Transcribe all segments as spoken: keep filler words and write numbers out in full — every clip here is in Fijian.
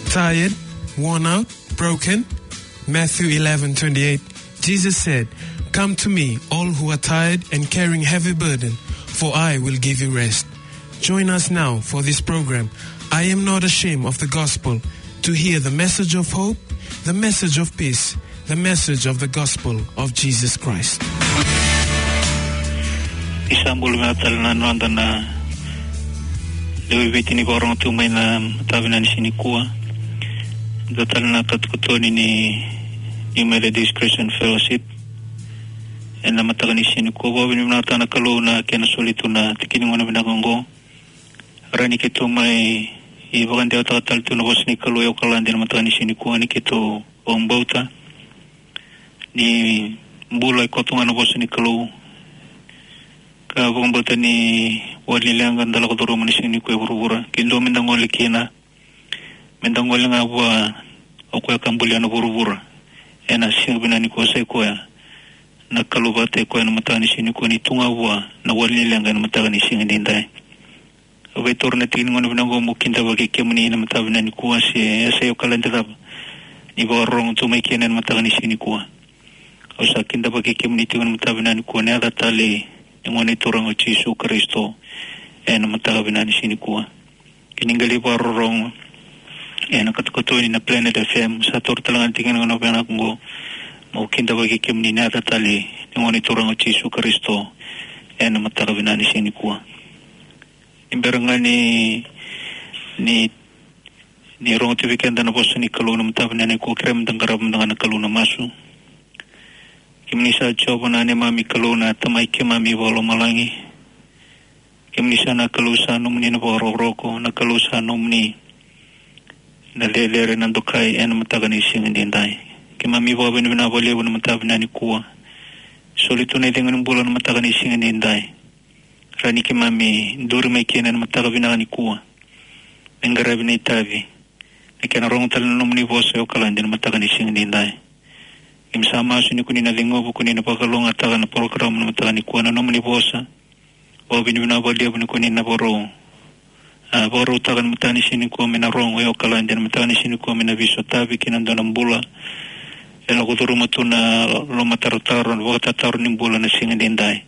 Tired, worn out, broken? Matthew eleven twenty-eight, Jesus said, "Come to me, all who are tired and carrying heavy burden, for I will give you rest." Join us now for this program, I Am Not Ashamed of the Gospel, to hear the message of hope, the message of peace, the message of the gospel of Jesus Christ. Ni sa bula vinaka tale na noda na lewe i Viti ni vakarorogo tu mai na mataka vinaka ni siga nikua. Dua tale na katokatoni ni, ni New Methodist Christian Fellowship. Ena mataka ni siga nikua, vakavinavinakataka na Kalou na kena soli tu na tiki ni gauna vinaka oqo. Rawa ni keitou mai vakadewataka tale tu na vosa ni Kalou e Okaladi ena mataka ni siga nikua, ni keitou vakabauta ni bula e koto ga na vosa ni Kalou. Ka vakabauta ni wali ni leqa da lako curuma na siga nikua e vuravura, ke dua meda gole kina, meda gole ga vua o koya ka bulia na vuravura ena siga vinaka nikua, sa i koya na Kalou vata, i koya na mataka ni siga nikua, ni tu ga vua na wali ni leqa ena mataka ni siga edaidai. Au via taura na tiki ni gauna vinaka oqo meu kidavaki kemuni na mataka vinaka nikua, se yasa i Okaladi cava ni vakarorogo tu mai kina ena mataka ni siga nikua. Au sa kidavaki kemuni tiko na mataka vinaka nikua ena yaca talei ni Gone Turaga o Jisu Karisito ena mataka vinaka ni siga nikua. Ke ni qai lai vakarorogo ena katokatoni na Planet F M, sa taura tale ga na tiki ni gauna vinaka oqo meu kidavaki kemuni ena yaca talei ni Gone Turaga o Jisu Karisito ena mataka vinaka ni siga nikua. Ni bera ga ni, ni, ni rogo tu vei keda na vosa ni Kalou na mataka vinaka nikua, kerea meda qarava mada ga na Kalou na masu. Kemuni sa Jiova na neimami Kalou, na Tamai keimami vakalomalagi. Kemuni sa na Kalou sa nomuni na vakarokoroko, na Kalou sa nomuni na cecere, na dokai ena mataka ni siga edaidai. Keimami vakavinavinaka vakalevu na mataka vinaka nikua. Soli tu na icegu ni bula na mataka ni siga edaidai. Rawa ni keimami duri mai kina ena mataka vinaka nikua me qaravi na itavi, me kena rogo tale na nomuni vosa e Okaladi ena mataka ni siga edaidai. Keimami sa masu ni ko ni na ceguva, ko ni na vakalougatataka na porokaramu na mataka nikua, na nomuni vosa. Vakavinavinaka vakalevu ni ko ni na vakarau, a, vakarautaka na mataka ni siga nikua me na rogo e Okaladi ena mataka ni siga nikua, me na veisotavi kei na dua na bula e lako curuma tu na lomatarotaro, na vakatataro ni bula na siga edaidai.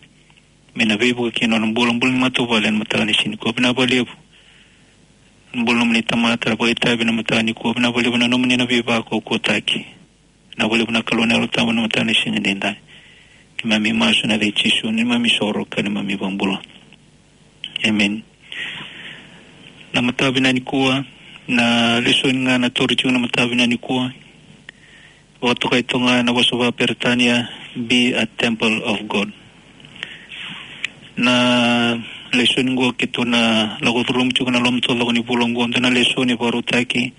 Me na veivuke kina na bula, bula ni matavuvale ena mataka ni siga nikua. Vinaka vakalevu na bula nomuni tamata vakaitavi ena mataka nikua. Vinaka vakalevu na nomuni na veivakaukauwataki. Vinaka vakalevu na Kalou na Yalo Tabu ena mataka ni siga edaidai. Keimami masu ena yaca i Jisu, neimami isoro ka neimami ivakabula. Emeni. Na mataka vinaka nikua, na lesoni ga na tauri tiko na mataka vinaka nikua. Vakatokai toka ga ena vosa vakaperitania, "Be a temple of God." Na lesoni qo keitou na lako curuma tiko ena loma taucoko ni vula qo, dua na lesoni vakarautaki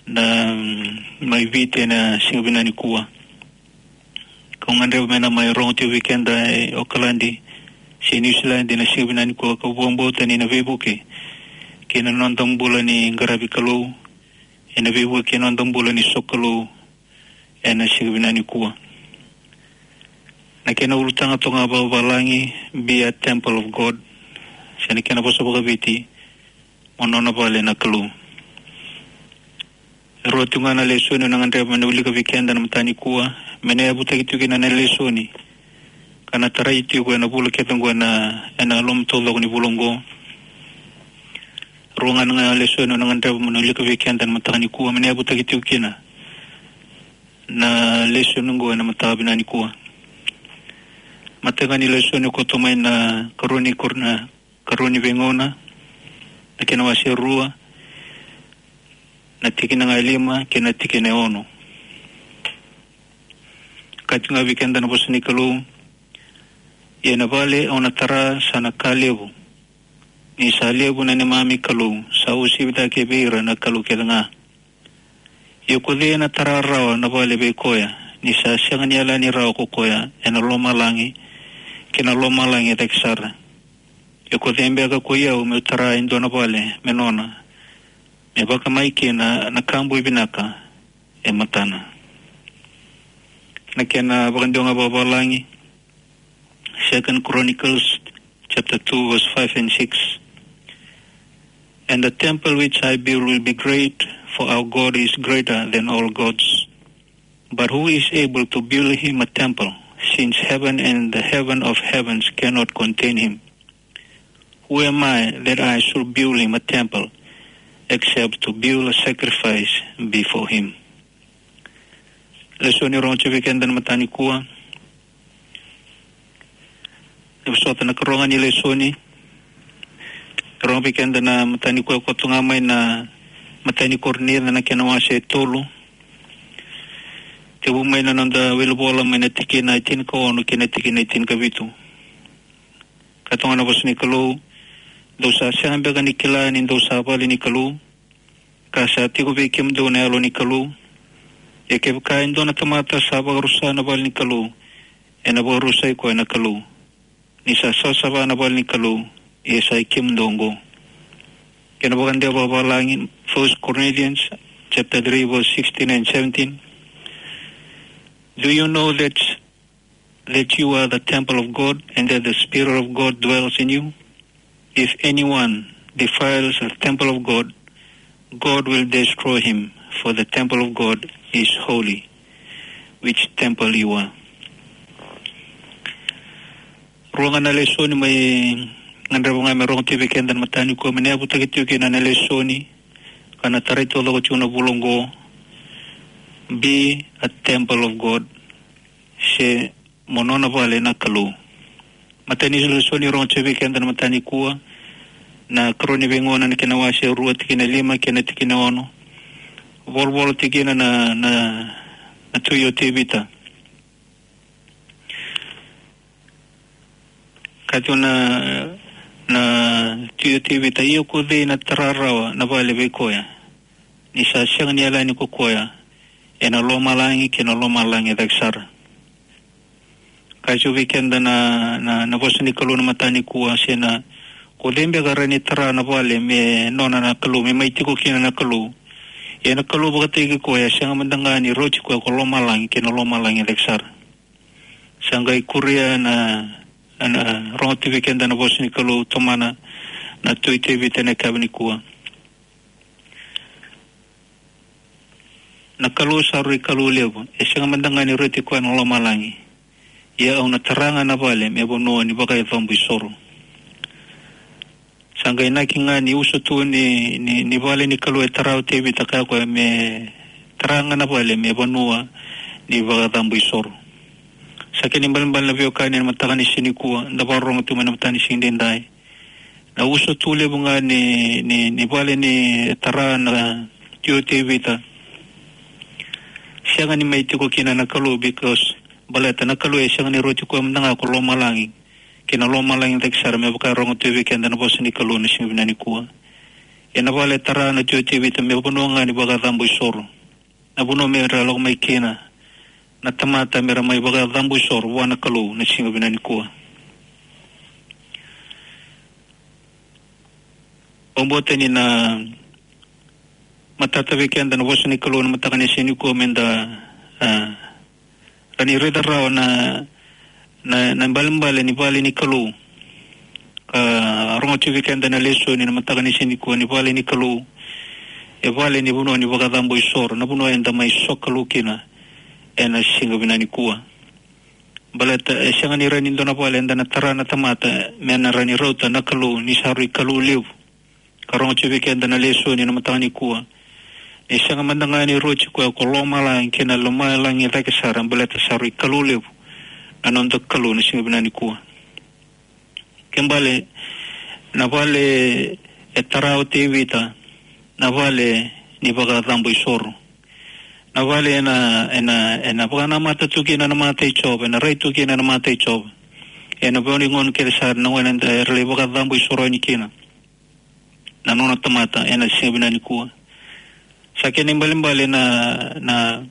na, mm, mai Viti ena siga vinaka nikua. Kau gadreva me na mai rogo tiko vei keda e Okaladi se Niusiladi ena siga vinaka nikua, kau vakabauta ni na veivuke kei na noda bula ni qaravi Kalou, ena veivuke kei na noda bula ni sokalou ena siga vinaka nikua. Na kena ulutaga toka ga vakavalagi, "Be a temple of God", se na kena vosa vakaViti, "Mo nona vale na Kalou." E rua tiko ga na lesoni au na gadreva me na wilika vei keda ena mataka nikua, me na yavutaki tiko kina na lesoni ka na tarai tiko ena vula kece qo ena, ena loma taucoko ni vula qo. Rua ga na lesoni au na gadreva me na wilika vei keda ena mataka nikua, me na yavutaki tiko kina na lesoni qo ena mataka vinaka nikua. Matai ga ni lesoni koto mai na Karua ni Kor-, na Karua ni Veigauna, na kena wase rua, na tikina ga e lima kei na tikina e ono. Kaya tiko ga vei keda na vosa ni Kalou: "Ia na vale au na tara sa na ka levu, ni sa levu na neimami Kalou, sa uasivi cake vei ira na kalou kece ga. Ia ko cei ena tara rawa na vale vei koya, ni sa sega ni yalani rawa ko koya ena lomalagi kei na lomalagi e cake sara? Ia ko cei beka ko i au meu tara e dua na vale me nona, me vakamai kina na ka boi vinaka e matana?" Na kena vakadua ga vakavalagi, Second Chronicles chapter two, verse five and six. "And the temple which I build will be great, for our God is greater than all gods. But who is able to build him a temple, since heaven and the heaven of heavens cannot contain him? Who am I that I should build him a temple, except to build a sacrifice before him? Lesoni rogo tiko vei keda na mataka nikua. E vosota na karua ga ni lesoni. Rogo vei keda na mataka nikua, koto ga mai na matai ni Korinica na kena wase e tolu. Tekivu mai na noda wilivola mai na tikina e tinikaono kei na tikina e tinikavitu. Ka tukuna na vosa ni Kalou: Dou sa sega beka ni kila ni dou sa vale ni Kalou, ka sa tiko vei kemudou na Yalo ni Kalou? Ia kevaka e dua na tamata sa vakarusa na vale ni Kalou, ena vakarusai koya na Kalou. Ni sa savasava na vale ni Kalou, ia sa i kemudou oqo. Kena vakadewa vakavalagi, First Corinthians chapter three, verse sixteen and seventeen. Do you know that, that you are the temple of God, and that the Spirit of God dwells in you? If anyone defiles the temple of God, God will destroy him, for the temple of God is holy, which temple you are. Rua ga na lesoni mai gadreva ga me rogo tiko vei keda na mataka nikua, me na yavutaki tiko kina na lesoni, ka na tarai taucoko tiko na vula oqo: Be a temple of God, se mo nona vale na Kalou. Matai ni lesoni rogo tiko vei keda na mataka nikua, na Karua ni Veigauna na kena wase rua, tikina lima kei na tikina ono. Volavola tiko kina na, na, na tui o Tevita. Ka tukuna na tui o Tevita: Ia ko cei na tara rawa na vale vei koya, ni sa sega ni yalani ko koya ena lomalagi kei na lomalagi cake sara? Ka tukuna vei keda na, na, na vosa ni Kalou na mataka nikua, se na, ko cei beka rawa ni tara na vale me nona na Kalou, me mai tiko kina na Kalou? Ia na Kalou vakataki koya, e sega mada ga ni rauti koya ko lomalagi kei na lomalagi cake sara. Sa qai kuria na, na, na rogo tiko vei keda na vosa ni Kalou, tomana na tui Tevita ena yakavi nikua. Na Kalou sa rui Kalou levu, e sega mada ga ni rauti koya na lomalagi. Ia au na tara ga na vale me vanua ni vakacabo isoro. Sa qai inaki ga ni usutu ni, ni, ni vale ni Kalou e tara o Tevita, kaya o koya me tara ga na vale me vanua ni vakacabo isoro. Sa kena ibalebale na veiwekani ena mataka ni siga nikua, da vakarorogo tu mai na mataka ni siga edaidai. Na usutu levu ga ni, ni, ni vale ni tara na tui o Tevita, sega ni mai tiko kina na Kalou, because baleta na Kalou e sega ni rauti koya mada ga ko lomalagi kei na lomalagi cake sara, me vaka e rogo tu vei keda na vosa ni Kalou na siga vinaka nikua. Ia na vale e tara na tui o Tevita me vanua ga ni vakacabo isoro. Na vanua me ra lako mai kina na tamata me ra mai vakacabo isoro vua na Kalou na siga vinaka nikua. Au vakabauta ni na matata vei keda na vosa ni Kalou na mataka ni siga nikua, me da, a, rawa ni raica rawa na, na, na ibalebale ni vale ni Kalou. Ka rogo tiko vei keda na lesoni na mataka ni siga nikua, ni vale ni Kalou e vale ni vanua ni vakacabo isoro, na vanua eda mai sokalou kina ena siga vinaka nikua. Baleta e sega ni rawa ni dua na vale eda na tara na tamata me na rawa ni rauta na Kalou, ni sa rui Kalou levu. Ka rogo tiko vei keda na lesoni na mataka nikua, e sega mada ga ni rauti koya ko lomalagi kei na lomalagi cake sara, baleta sa rui Kalou levu na noda Kalou na siga vinaka nikua. Kena ibalebale, na vale e tara o Tevita, na vale ni vakacabo isoro. Na vale ena, ena, ena vakanamata tu kina na mata i Jiova, ena rai tu kina na mata i Jiova. Ena vanua ni gauna kece sara, na gauna eda, era lai vakacabo isoro yani kina na nona tamata ena siga vinaka nikua. Sa kena ibalebale na, na,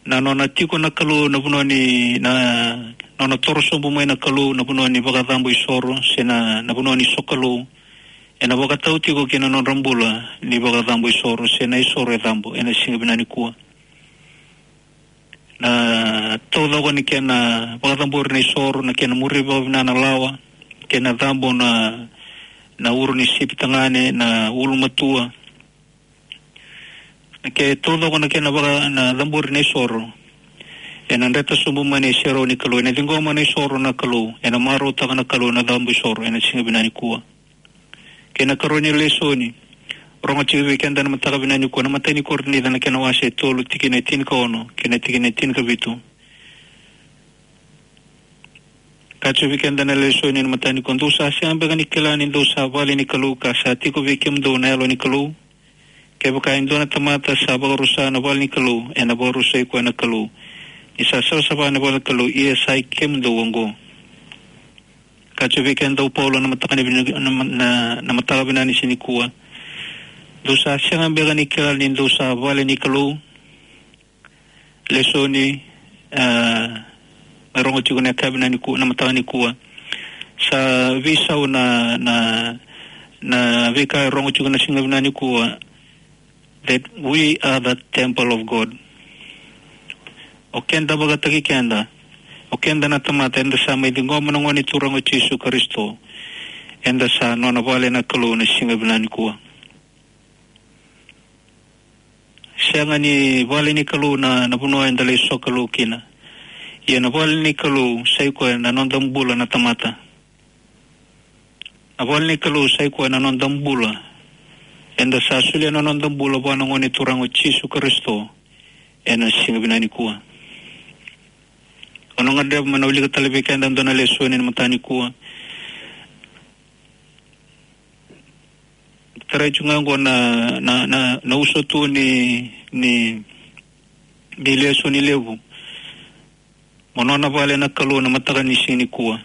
na nona tiko na Kalou, na vanua ni, na nona toro sobu mai na Kalou, na vanua ni vakacabo isoro, se na, na vanua ni sokalou, ena vakatau tiko kina na nodra bula ni vakacabo isoro, se na isoro e cabo ena siga vinaka nikua. Na taucoko ni kena vakacabori na isoro, na kena muri vakavinaka na lawa, kena cabo na, na uro ni sipi tagane, na ulumatua. Ke taucoko na kena vaka na cabori na isoro, ena dreta sobu mai na iserau ni Kalou, ena ciqoma na isoro na Kalou, ena marautaka na Kalou na cabu isoro ena siga vinaka nikua. Kei na ikarua ni lesoni, rogo tiko vei keda na mataka vinaka nikua, na imatai ni Korinica na kena wase e tolu, tikina e tinikaono kei na tikina e tinikavitu. Kaya tiko vei keda na lesoni na mataka nikua: Dou sa sega beka ni kila ni dou sa vale ni Kalou, ka sa tiko vei kemudou na Yalo ni Kalou? Kevaka e dua na tamata sa vakarusa na vale ni Kalou, ena vakarusai koya na Kalou, ni sa savasava na vale ni Kalou, ia sa i kemudou oqo. Kaya tiko vei keda o Paula na mataka ni vina-, na, na, na mataka vinaka ni siga nikua: Dou sa sega beka ni kila ni dou sa vale ni Kalou? Lesoni, a, mai rogo tiko na yakavi nikua, na mataka nikua. Sa veisau na, na, na veika e rogo tiko na siga vinaka nikua, that we are the temple of God. O keda vakataki keda, o keda na tamata, eda sa mai ciqoma na Gone Turaga o Jisu Karisito, eda sa nona vale na Kalou na siga vinaka nikua. Sega ni vale ni Kalou na, na vanua eda lai sokalou kina. Ia na vale ni Kalou sa i koya na noda bula na tamata. Na vale ni Kalou sa i koya na noda bula. Eda sa solia na noda bula vua na Gone Turaga o Jisu Karisito ena siga vinaka nikua. Au na gadreva meu na wilika tale vei keda e dua na lesoni ena mataka nikua. Tarai tiko ga oqo na, na, na, na uso tu ni, ni, ni lesoni levu. Mo nona vale na Kalou na mataka ni siga nikua.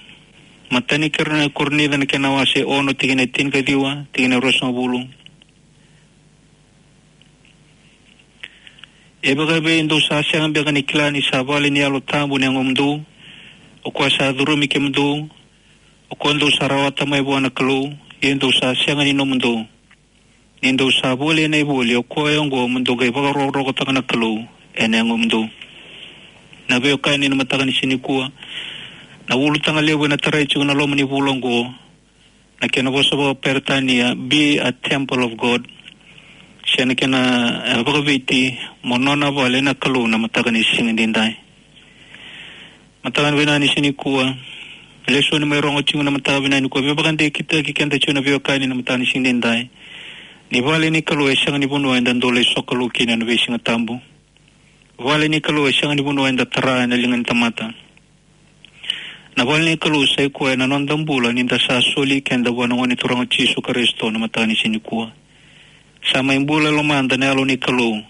Matai ni Kor-, Korinica na kena wase ono, tikina e tinikaciwa, tikina e ruasagavulu. E vakaevei dou sa sega beka ni kila ni sa vale ni Yalo Tabu na yagomudou, o koya sa curumi kemudou, o koya dou sa rawata mai vua na Kalou, ia dou sa sega ni nomudou, ni dou sa voli ena ivoli, o koya oqo mo dou qai vakarokorokotaka na Kalou ena yagomudou. Na veiwekani, na mataka ni siga nikua, na ulutaga levu ena tarai tiko na loma ni vula oqo, na kena vosa vakaperitania, be a temple of God. Se na kena, e, vakaviti, mo nona vale na Kalou na mataka ni siga edaidai. Mataka vinaka ni siga nikua, lesoni mai rogo tiko na mataka vinaka nikua, veivakadekitaki keda tiko na veiwekani na mataka ni siga edaidai. Ni vale ni Kalou e sega ni vanua eda dau lai sokalou kina ena veisiga tabu. Vale ni Kalou e sega ni vanua eda tara ena liga ni tamata. Na vale ni Kalou sa i koya na noda bula ni da sa soli keda vua na Gone Turaga o Jisu Karisito na mataka ni siga nikua. Sa mai bula e lomada na Yalo ni Kalou.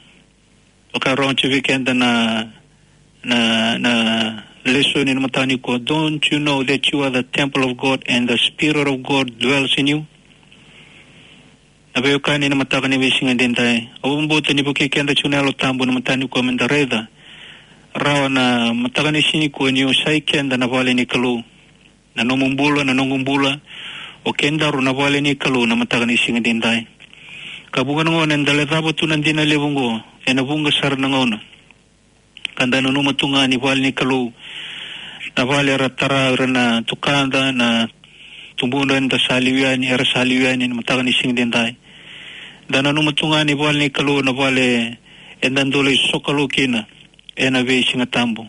Vaka e rogo tiko vei keda na, na, na lesoni na mataka nikua: Don't you know that you are the temple of God and the Spirit of God dwells in you? Na veiwekani, na mataka ni veisiga edaidai, au vakabauta ni vukei keda tiko na Yalo Tabu na mataka nikua me da raica rawa na mataka ni siga nikua ni o sa i keda na vale ni Kalou. Na nomu bula, na noqu bula, o kedaru na vale ni Kalou na mataka ni siga edaidai. Ka vuqa na gauna eda lecava tu na dina levu oqo ena vuqa sara na gauna. Ka da nanuma tu ga ni vale ni Kalou na vale era tara o ira na tukada, na tubudra eda sa liu yani, era sa liu yani na mataka ni siga edaidai. Da nanuma tu ga ni vale ni Kalou na vale eda dau lai sokalou kina ena veisiga tabu.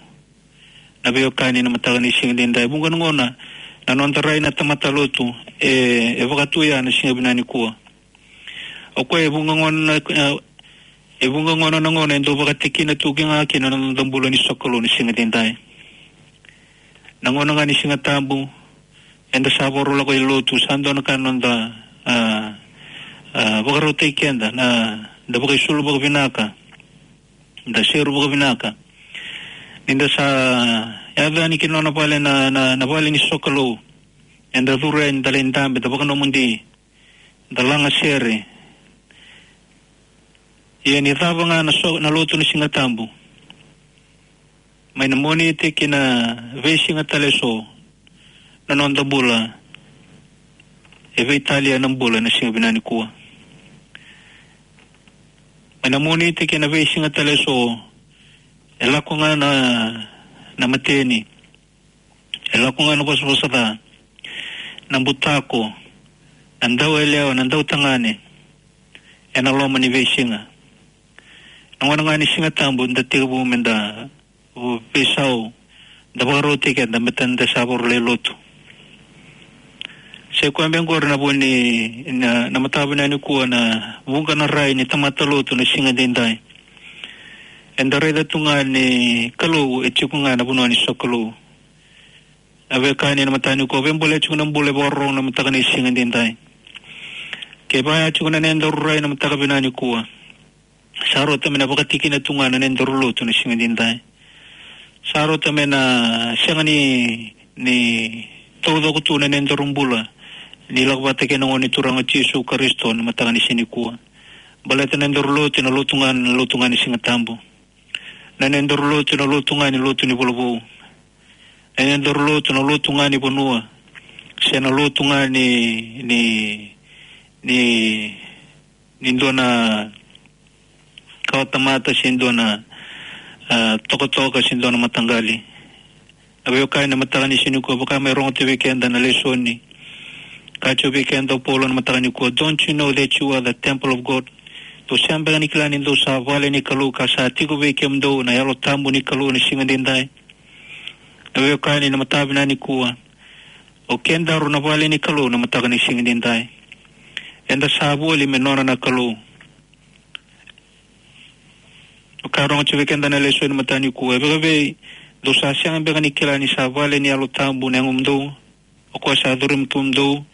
Na veiwekani, na mataka ni siga edaidai, vuqa na gauna na noda rai na tamata lotu e, e vakatuya na siga vinaka nikua. O koya e vuqa gauna, e, e vuqa gauna na gauna e dau vakatikina tu ga kina na noda bula ni sokalou na siga edaidai. Na gauna ga ni Siga Tabu, eda sa vakarau lako i lotu, sa dua na ka na noda, a, a, vakarautaki keda, na, da vakaisulu vakavinaka, da seru vakavinaka. Ni da sa yaco yani ki na nona vale na, na, na vale ni sokalou, eda curu yani, da lai dabe, da vakanomodi, da lagasere. Ia ni cava ga na so-, na lotu ni Siga Tabu, mai na Moniti ki na veisiga tale eso, na noda bula e veitalia na bula na siga vinaka nikua. Mai na Moniti ki na veisiga tale eso, e lako ga na, na mateni, e lako ga na vosavosa ca, na butako, na dauyalewa, na dautagane, ena loma ni veisiga. Na gauna ga ni Siga Tabu da tekivu me da veisau, da vakarautaki keda me da sa vakarau lai lotu. Sa i koya beka qori na vu ni, na, na mataka vinaka nikua, na vuqa na rai ni tamata lotu na siga edaidai. Eda raica tu ga ni Kalou e tiko ga ena vanua ni sokalou. Na veiwekani, na mataka nikua, veibolea tiko na bula e vakarorogo na mataka ni siga edaidai. Kevaka e tiko na nodaru rai na mataka vinaka nikua, sa rauta me na vakatikina tu ga na nodaru lotu na siga edaidai. Sa rauta me na sega ni, ni taucoko tu na nodaru bula ni lako vata kei na Gone Turaga o Jisu Karisito na mataka ni siga nikua. Baleta na nodaru lotu, na lotu ga, na lotu ga ni Siga Tabu. Na nodaru lotu, na lotu ga ni lotu ni volovou. Na nodaru lotu, na lotu ga ni vanua. Se na lotu ga ni, ni, ni, ni dua na kawatamata, se dua na, ah, tokatoka, se dua na mataqali. Na veiwekani, na mataka ni siga nikua, vaka me rogo tu vei keda na lesoni. Kaya tu vei keda o Paula na mataka nikua, "Don't you know that you are the temple of God?" Dou sega beka ni kila ni dou sa vale ni Kalou, ka sa tiko vei kemudou na Yalo Tabu ni Kalou na siga edaidai? Na veiwekani, na mataka vinaka nikua, o kedaru na vale ni Kalou na mataka ni siga edaidai. Eda sa voli me nona na Kalou. Ka rogo tu vei keda na lesoni mataka nikua, e vaka vei dou sa sega beka ni kila ni sa vale ni Yalo Tabu na yagomudou, o koya sa curumi kemudou,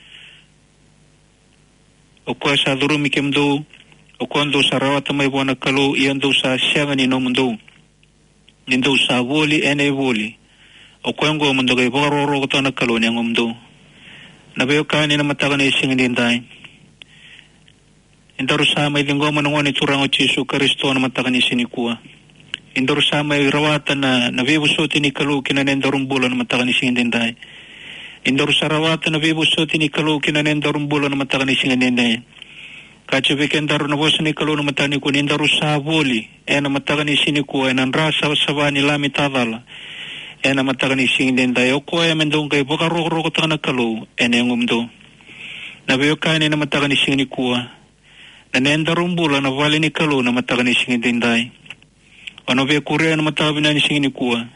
o koya sa curumi kemudou, o koya dou sa rawata mai vua na Kalou, ia dou sa sega ni nomudou, ni dou sa voli ena ivoli, o koya oqo mo dou qai vakarokorokotaka na Kalou na yagomudou. Na veiwekani, na mataka ni siga edaidai, edaru sa mai ciqoma na Gone Turaga o Jisu Karisito na mataka ni siga nikua. Edaru sa mai rawata na, na veivosoti ni Kalou ki na nodaru bula na mataka ni siga edaidai. Edaru sa rawata na veivosoti ni Kalou ki na nodaru bula na mataka ni siga edaidai. Kaya tu vei kedaru na vosa ni Kalou na mataka nikua, ni daru sa voli ena mataka ni siga nikua ena dra savasava ni Lami tacala, ena mataka ni siga edaidai, o koya me dou qai vakarokorokotaka na Kalou ena yagomudou. Na veiwekani, na mataka ni siga nikua, na nodaru bula na vale ni Kalou na mataka ni siga edaidai. O na via kuria na mataka vinaka ni siga nikua,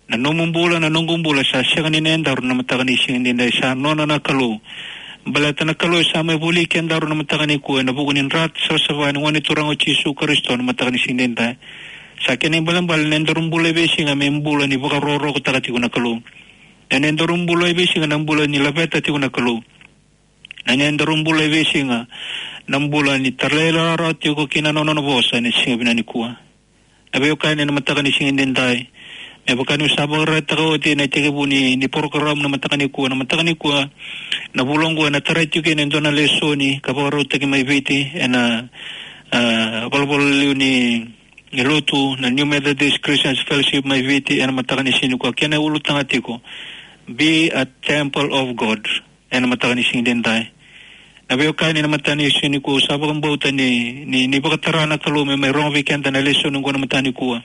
na nomu bula, na noqu bula sa sega ni nodaru na mataka ni siga edaidai, sa nona na Kalou. Baleta na Kalou e sa mai voli kedaru na mataka nikua ena vuku ni dra savasava ni Gone Turaga o Jisu Karisito na mataka ni siga edaidai. Sa kena ibalebale na nodaru bula e veisiga me bula ni vakarokorokotaka tiko na Kalou. Na nodaru bula e veisiga na bula ni laveta tiko na Kalou. Na nodaru bula e veisiga na bula ni talairawarawa tiko ki na nona vosa ena siga vinaka nikua. Na veiwekani, na mataka ni siga edaidai, me vaka niu sa vakaraitaka oti ena itekivu ni, ni porokaramu na mataka nikua, na mataka nikua, na vula oqo ena tarai tiko ena dua na lesoni ka vakarautaki mai Viti ena, ah, valavala liu ni, ni lotu na New Methodist Christians Fellowship mai Viti ena mataka ni siga nikua. Kena ulutaga tiko, "Be a temple of God." Ena mataka ni siga edaidai, na veiwekani, na mataka ni siga nikua, au sa vakabauta ni, ni, ni vakatara na Kalou me mai rogo vei keda na lesoni oqo na mataka nikua.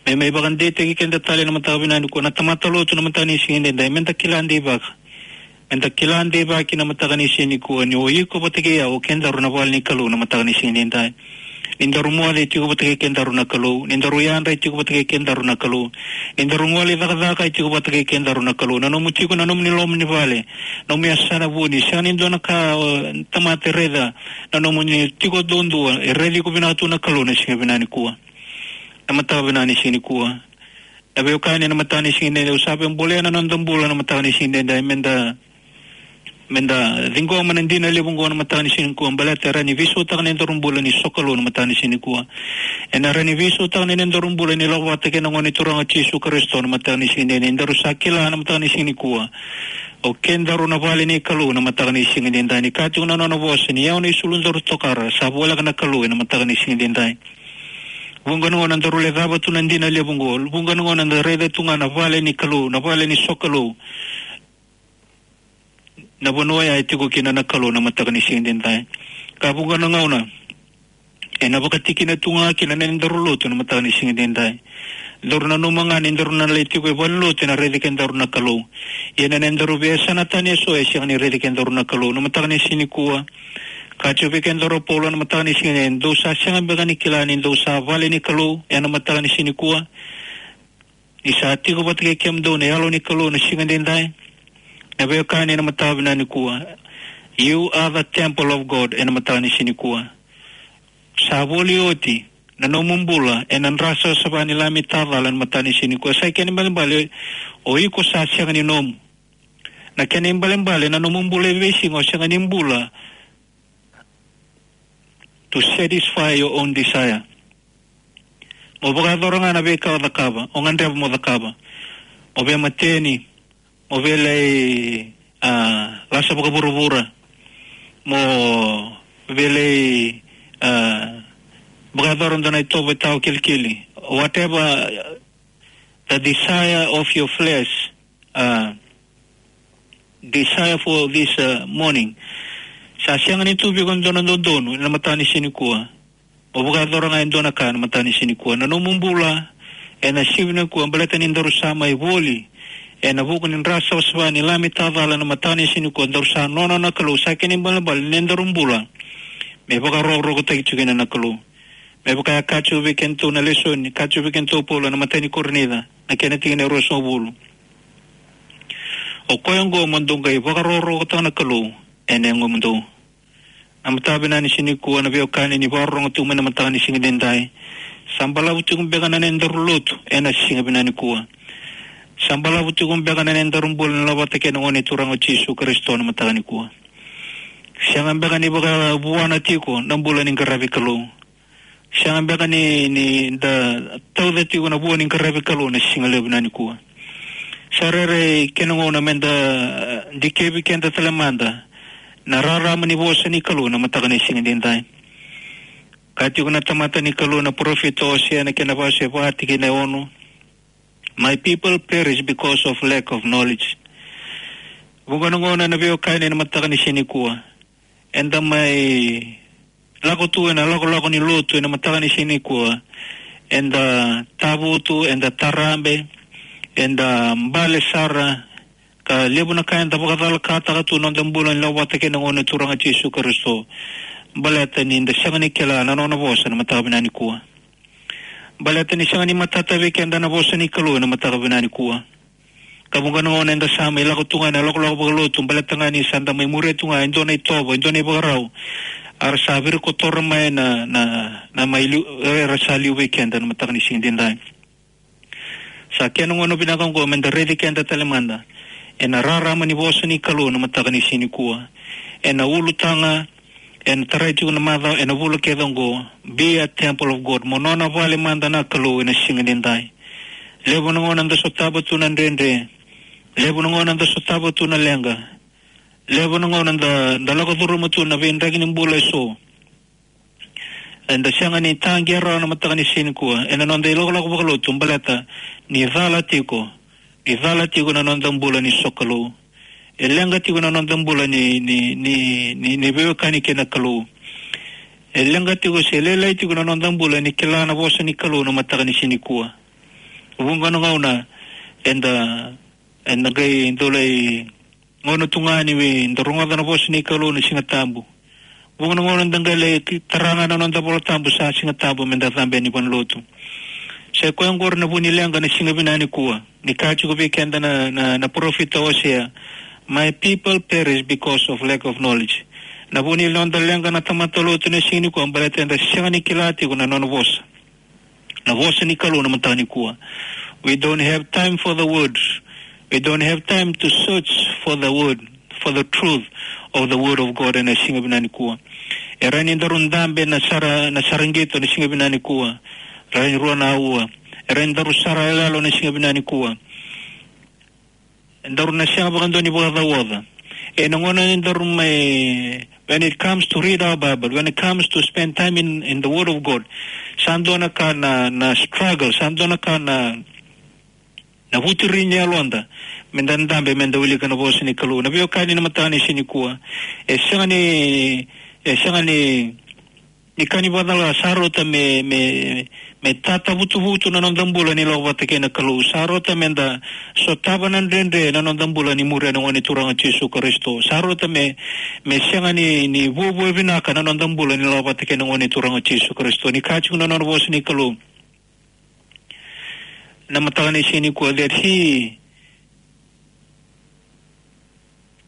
Me mai vakadeitaki keda tale na mataka vinaka nikua, na tamata lotu na mataka ni siga edaidai, me da kila deivaki. Me da kila deivaki na mataka ni siga nikua ni o iko vata kei au, o kedaru na vale ni Kalou na mataka ni siga edaidai. Ni daru moce e tiko vata kei kedaru na Kalou. Ni daru yadra e tiko vata kei kedaru na Kalou. Ni daru gole cakacaka e tiko vata kei kedaru na Kalou. Na nomu tiko, na nomuni loma ni vale, nomu yasana vuni, sega ni dua na ka, e, tamata e raica. Na nomuni tiko duadua, e raici iko vinaka tu na Kalou na siga vinaka nikua. Na mataka vinaka ni siga nikua, na veiwekani, na mataka ni siga edaidai, au sa via bolea na noda bula na mataka ni siga edaidai, me da, me da ciqoma na dina levu oqo na mataka ni siga nikua, baleta e rawa ni veisautaka na nodaru bula ni sokalou na mataka ni siga nikua. Ena rawa ni veisautaka na nodaru bula ni lako vata kei na Gone Turaga o Jisu Karisito na mataka ni siga edaidai. Daru sa kila na mataka ni siga nikua, o kedaru na vale ni Kalou na mataka ni siga edaidai. Ni kaya tiko na nona vosa, ni yawa na isulu daru tokara, sa voleka na Kalou ena mataka ni siga edaidai. Vuqa na gauna daru lecava tu na dina levu oqo. Vuqa na gauna da raica tu ga na vale ni Kalou, na vale ni sokalou, na vanua ya e tiko kina na Kalou na mataka ni siga edaidai. Ka vuqa na gauna ena vakatikina tu ga kina na nodaru lotu na mataka ni siga edaidai. Daru nanuma ga ni daru na lai tiko e valenilotu ena raici kedaru na Kalou. Ia na nodaru veiyasana tani eso e sega ni raici kedaru na Kalou. Na mataka ni siga nikua, Ka tiko vei kedaru o Paula na mataka ni siga ni, dou sa sega beka ni kila ni dou sa vale ni Kalou ena mataka ni siga nikua, ni sa tiko vata kei kemudou na Yalo ni Kalou na siga edaidai? Na veiwekani ena mataka vinaka nikua, you are the temple of God ena mataka ni siga nikua. Sa voli oti na nomu bula ena dra savasava ni Lami tacala ena mataka ni siga nikua. Sa kena ibalebale, o iko sa sega ni nomu. Na kena ibalebale, na nomu bula e veisiga o sega ni bula to satisfy your own desire. Mo vakayacora ga na veika o cakava, o gadreva mo cakava. Mo veimateni, mo via lai, ah, lasa vakavuravura, mo via lai, ah, vakayacora dua na itovo e tawa kilikili. Whatever the desire of your flesh, ah, desire for this, ah, morning. Sa sega ni tu vei iko e dua na dodonu ena mataka ni siga nikua. Mo vakayacora ga e dua na ka ena mataka ni siga nikua. Na nomu bula ena siga vinaka nikua, baleta ni daru sa mai voli ena vuku ni dra savasava ni Lami tacala ena mataka ni siga nikua, daru sa nona na Kalou. Sa kena ibalebale ni daru bula me vakarokorokotaki tiko kina na Kalou. Me vaka e kaya tiko vei kedatou na lesoni, kaya tiko vei kedatou o Paula ena imatai ni Korinica, na kena tikina e ruasagavulu. O koya oqo mo dou qai vakarokorokotaka na Kalou ena yagomudou. Na mataka vinaka ni siga nikua, na veiwekani ni vakarorogo tiko mai ena mataka ni siga edaidai. Sa balavu tiko beka na nodaru lotu ena siga vinaka nikua? Sa balavu tiko beka na nodaru bula ni lako vata kei na Gone Turaga o Jisu Karisito ena mataka nikua? Sega beka ni vakavuana tiko na bula ni qaravi Kalou? Sega beka ni, ni da tauca tiko na vua ni qaravi Kalou na siga levu vinaka nikua? Sa rairai kena gauna meda, eh, dikevi keda tale mada na rarama ni vosa ni Kalou na mataka ni siga edaidai. Kaya tiko na tamata ni Kalou na parofita o Osea ena kena wase va tikina e ono, "My people perish because of lack of knowledge." Vuqa na gauna, na veiwekani, ena mataka ni siga nikua, eda mai lako tu ena lakolako ni lotu ena mataka ni siga nikua, eda tavutu, eda tarabe, eda bale sara, ka levu na ka eda vakacalakataka tu na noda bula ni lako vata kei na Gone Turaga Jisu Karisito. Baleta ni da sega ni kila na nona vosa na mataka vinaka nikua. Baleta ni sega ni matata vei keda na vosa ni Kalou ena mataka vinaka nikua. Ka vuqa na gauna eda sa mai lako tu ga ena lakolako vakalotu, baleta ga ni sa da mai muria tu ga e dua na itovo, e dua na ivakarau, a ra sa virikotora mai na, na, na mai liu, era sa liu vei keda na mataka ni siga edaidai. Sa kena gauna vinaka oqo meda raici keda tale mada ena rarama ni vosa ni Kalou na mataka ni siga nikua. Ena ulutaga, ena tarai tiko na macawa, ena vula kece oqo, "Be a temple of God." Mo nona vale mada na Kalou ena siga edaidai. Levu na gauna da sotava tu na dredre. Levu na gauna da sotava tu na leqa. Levu na gauna da, da lako curuma tu na veidraki ni bula eso. Eda sega ni taqe rawa na mataka ni siga nikua ena noda ilakolako vakalotu, baleta ni cala tiko, ni cala tiko na noda bula ni sokalou. E leqa tiko na noda bula ni, ni, ni, ni, ni veiwekani kei na Kalou. E leqa tiko se lailai tiko na noda bula ni kila na vosa ni Kalou na mataka ni siga nikua. Vuqa na gauna eda, eda qai dau lai gauna tu ga ni da rogoca na vosa ni Kalou na Siga Tabu. Vuqa na gauna da qai lai ki-, tara ga na noda iVola Tabu sa Siga Tabu meda cabe yani vanua lotu. Sa i koya oqori na vu ni leqa na siga vinaka nikua, ni kaya tiko vei keda na, na, na parofita o Osea, "My people perish because of lack of knowledge." Na vu ni noda leqa na tamata lotu na siga nikua, baleta eda sega ni kila tiko na nona vosa, na vosa ni Kalou na mataka nikua. We don't have time for the word. We don't have time to search for the word, for the truth of the word of God ena siga vinaka nikua. E rawa ni daru dabe na sara, na sara qito na siga vinaka nikua. Rawa ni rua na aua. E rawa ni daru sara yaloyalo na siga vinaka nikua. Daru na sega vakadua ni vakacauoca ena gauna ni daru mai, when it comes to read our Bible, when it comes to spend time in, in the Word of God, sa dua na ka na, na struggle, sa dua na ka na, na vuturi ni yaloda meda dabe, meda wilika na vosa ni Kalou. Na veiwekani na mataka ni siga nikua, e sega ni, e sega ni Ni ka ni vakacala, sa rauta me, me, me tatavutuvutu na noda bula ni lako vata kei na Kalou. Sa rauta me da sotava na dredre na noda bula ni muria na Gone Turaga o Jisu Karisito. Sa rauta me, me sega ni, ni vuavua vinaka na noda bula ni lako vata kei na Gone Turaga o Jisu Karisito. Ni kaya tiko na nona vosa ni Kalou. Na mataka ni siga nikua, that he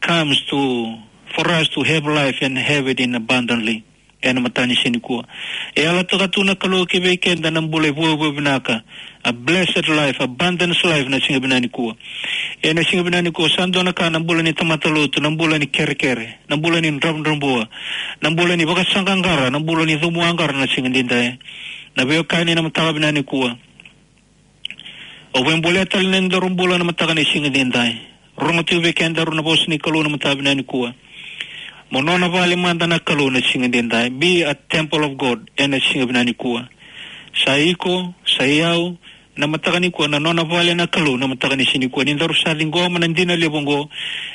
comes to, for us to have life and have it in abundantly. Ena mataka ni siga nikua. E yalataka tu na Kalou ki vei keda na bula e vuavua vinaka. A blessed life, abundance life na siga vinaka nikua. Ena siga vinaka nikua, sa dua na ka na bula ni tamata lotu, na bula ni kerekere, na bula ni dravudravua, na bula ni vakasaqaqara, na bula ni cumuaqara na siga edaidai. Na veiwekani na mataka vinaka nikua. Au via bolea tale na nodaru bula na mataka ni siga edaidai. Rogo tiko vei kedaru na vosa ni Kalou na mataka vinaka nikua. Mo nona vale mada na Kalou na siga edaidai. Be a temple of God ena siga vinaka nikua. Sa iko, sa i au, na mataka nikua, na nona vale na Kalou na mataka ni siga nikua. Ni daru sa ciqoma na dina levu oqo,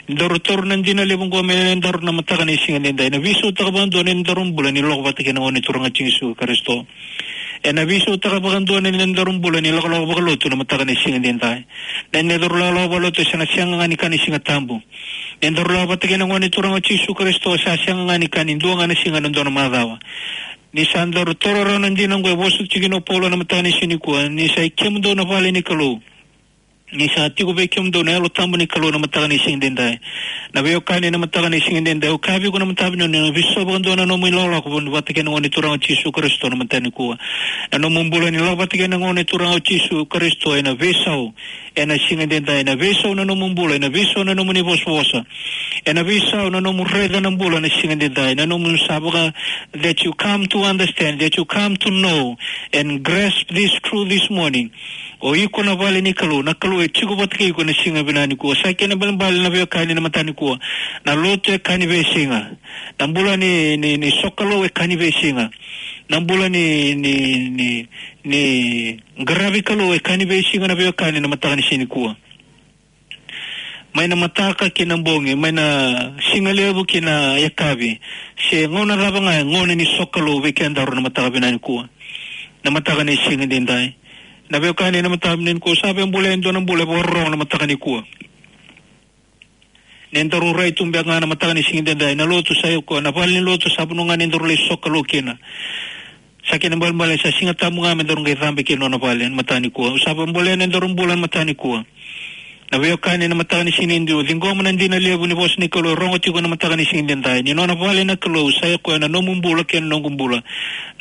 ni daru taura na dina levu oqo me nodaru na mataka ni siga edaidai. Na veisautaka vakadua na nodaru bula ni lako vata kei na Gone Turaga o Jisu Karisito. Ena veisautaka vakadua na nodaru bula ni lakolako vakalotu na mataka ni siga edaidai. Na nodaru lakolako vakalotu e sega, sega ga ni ka ni Siga Tabu. Na nodaru lako vata kei na Gone Turaga o Jisu Karisito sa sega ga ni ka ni dua ga na siga ena dua na macawa. Ni sa daru taura rawa na dina oqo e vosa tiko kina o Paula na mataka ni siga nikua, ni sa i kemudou na vale ni Kalou. Ni sa tiko vei kemudou na Yalo Tabu ni Kalou na mataka ni siga edaidai. Na veiwekani na mataka ni siga edaidai, au kaya vei iko na mataka vinaka nikua, veisau vakadua na nomu ilakolako vata kei na Gone Turaga o Jisu Karisito na mataka nikua. Na nomu bula ni lako vata kei na Gone Turaga o Jisu Karisito ena veisau. Ena siga edaidai, ena veisau na nomu bula, ena veisau na nomuni vosavosa. Ena veisau na nomu raica na bula na siga edaidai, na nomu sa vaka, that you come to understand, that you come to know and grasp this truth this morning. O iko na vale ni Kalou, na Kalou e tiko vata kei iko na siga vinaka nikua. Sa kena ibalebale na veiwekani na mataka nikua. Na lotu e ka ni veisiga. Na bula ni, ni, ni sokalou e ka ni veisiga. Na bula ni, ni, ni, ni qaravi Kalou e ka ni veisiga na veiwekani na mataka ni siga nikua. Mai na mataka ki na bogi, mai na siga levu ki na yakavi. Se gauna cava ga e gauna ni sokalou vei kedaru na mataka vinaka nikua. Na mataka ni siga edaidai. Na veiwekani na mataka vinaka nikua, sa via bolea e dua na bula e vakarorogo na mataka nikua. Ni daru rai tu beka ga na mataka ni siga edaidai. Na lotu sa i koya, na vale ni lotu sa vanua ga ni daru lai sokalou kina. Sa kena ibalebale sa Siga Tabu ga me daru qai cabe kina nona vale na mataka nikua. Au sa via bolea na nodaru bula na mataka nikua. Na veiwekani na mataka ni siga nikua, ciqoma na dina levu ni vosa ni Kalou e rogo tiko na mataka ni siga edaidai. Ni nona vale na Kalou, sa i koya na nomu bula kei na noqu bula.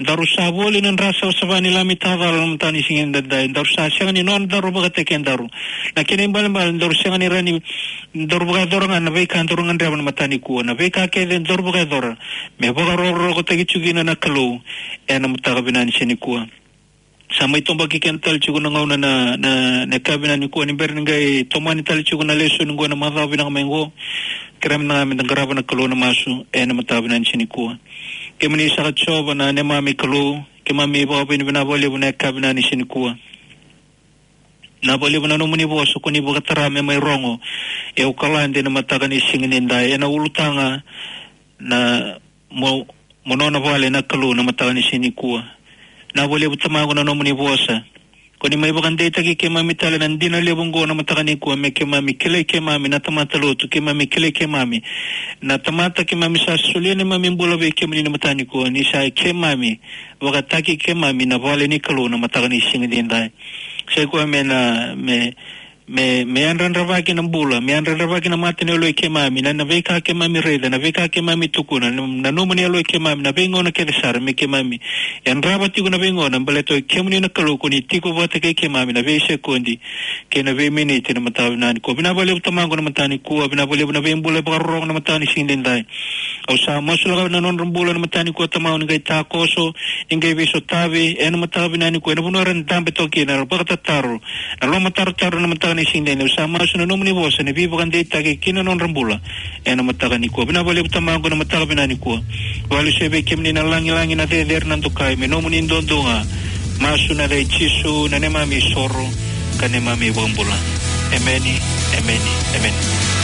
Daru sa voli na dra savasava ni Lami tacala na mataka ni siga edaidai. Daru sa sega ni nodaru vakataki kedaru. Na kena ibalebale daru sega ni rawa ni daru vakayacora ga na veika daru gadreva na mataka nikua. Na veika kece daru vakayacora me vakarokorokotaki tiko kina na Kalou ena mataka vinaka ni siga nikua. Sa mai toboki keda tale tiko na gauna na, na, na yakavi vinaka nikua, ni bera ni qai tomani tale tiko na lesoni qo na macawa vinaka mai qo. Kerea mada ga me da qarava na Kalou na masu ena mataka vinaka ni siga nikua. Kemuni saka Jiova na neimami Kalou, keimami vakavinavinaka vakalevu na yakavi vinaka ni siga nikua. Vinaka vakalevu na nomuni vosa ko ni vakatara me mai rogo e Okaladi na mataka ni siga edaidai, ena ulutaga na mo, mo nona vale na Kalou na mataka ni siga nikua. Vinaka vakalevu Tamaqu na nomuni vosa ko ni mai vakadeitaki keimami tale na dina levu oqo na mataka nikua, me keimami kilai keimami na tamata lotu, keimami kilai keimami na tamata keimami sa solia neimami bula vei kemuni na mataka nikua, ni sa i keimami vakataki keimami na vale ni Kalou na mataka ni siga edaidai. Sa i koya me na, me, me, me yadrayadravaki na bula, me yadrayadravaki na mata ni yalo i keimami, na, na veika keimami raica, na veika keimami tukuna, na, na nomuni yalo i keimami, na veigauna kece sara me keimami yadrava tiko na veigauna, baleta o kemuni na Kalou ko ni tiko vata kei keimami na veisekodi kei na veiminiti na mataka vinaka nikua. Vinaka vakalevu Tamaqu na mataka nikua, vinaka vakalevu na veibula vakarorogo na mataka ni siga edaidai. Au sa masulaka na nodra bula na mataka nikua Tamaqu, ni qai takoso, ni qai veisotavi ena mataka vinaka nikua ena vanua era dabe toka kina, era vakatataro, na lomatarotarotaro na mataka ni siga edaidai. Au sa masu na nomuni vosa ni veivakadeitaki ki na nodra bula ena mataka nikua. Vinaka vakalevu Tamaqu na mataka vinaka nikua. Vakalesuya vei kemuni na lagilagi, na cecere, na dokai, me nomuni duadua ga. Masu ena yaca i Jisu na neimami isoro ka neimami iVakabula. Emeni, emeni, emeni.